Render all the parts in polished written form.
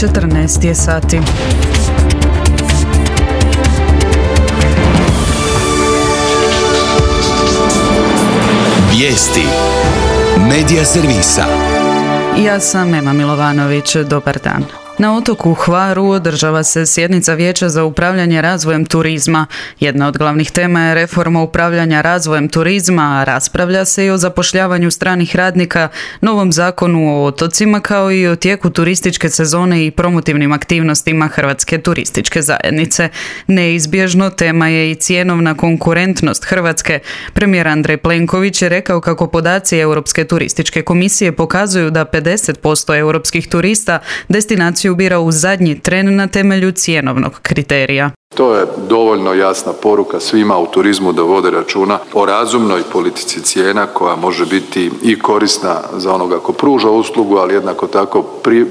14 je sati. Vijesti Medija servisa. Ja sam Ema Milovanović, dobar dan. Na otoku Hvaru održava se sjednica Vijeća za upravljanje razvojem turizma. Jedna od glavnih tema je reforma upravljanja razvojem turizma, a raspravlja se i o zapošljavanju stranih radnika, novom zakonu o otocima kao i o tijeku turističke sezone i promotivnim aktivnostima Hrvatske turističke zajednice. Neizbježno tema je i cjenovna konkurentnost Hrvatske. Premijer Andrej Plenković je rekao kako podaci Europske turističke komisije pokazuju da 50% europskih turista destinaciju bira u zadnji tren na temelju cjenovnog kriterija. To je dovoljno jasna poruka svima u turizmu da vode računa o razumnoj politici cijena koja može biti i korisna za onoga ko pruža uslugu, ali jednako tako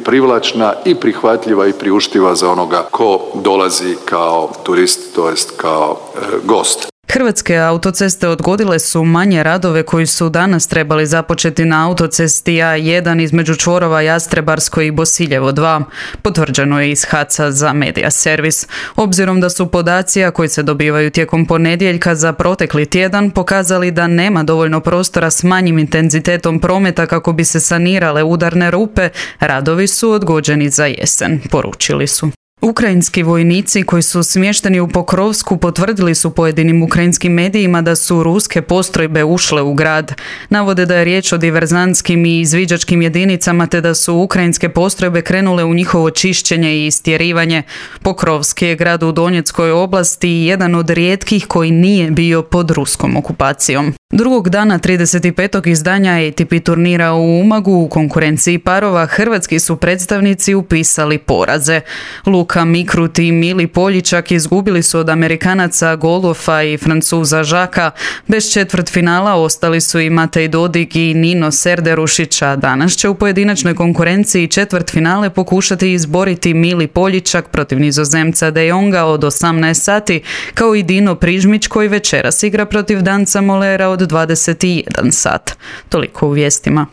privlačna i prihvatljiva i priuštiva za onoga ko dolazi kao turist, to jest kao gost. Hrvatske autoceste odgodile su manje radove koji su danas trebali započeti na autocesti A1 između čvorova Jastrebarsko i Bosiljevo 2. Potvrđeno je iz HAC-a za Medija servis. Obzirom da su podaci koji se dobivaju tijekom ponedjeljka za protekli tjedan pokazali da nema dovoljno prostora s manjim intenzitetom prometa kako bi se sanirale udarne rupe, radovi su odgođeni za jesen, poručili su. Ukrajinski vojnici koji su smješteni u Pokrovsku potvrdili su pojedinim ukrajinskim medijima da su ruske postrojbe ušle u grad. Navode da je riječ o diverzantskim i izviđačkim jedinicama te da su ukrajinske postrojbe krenule u njihovo čišćenje i istjerivanje. Pokrovski je grad u Donjeckoj oblasti i jedan od rijetkih koji nije bio pod ruskom okupacijom. Drugog dana 35. izdanja ATP turnira u Umagu u konkurenciji parova hrvatski su predstavnici upisali poraze. Luka Mikrut i Mili Poljičak izgubili su od Amerikanaca Golofa i Francuza Žaka. Bez četvrtfinala ostali su i Matej Dodig i Nino Serderušić, a danas će u pojedinačnoj konkurenciji četvrtfinale pokušati izboriti Mili Poljičak protiv Nizozemca De Jonga od 18 sati, kao i Dino Prižmić koji večeras igra protiv Danca Molera od 21 sat. Toliko u vijestima.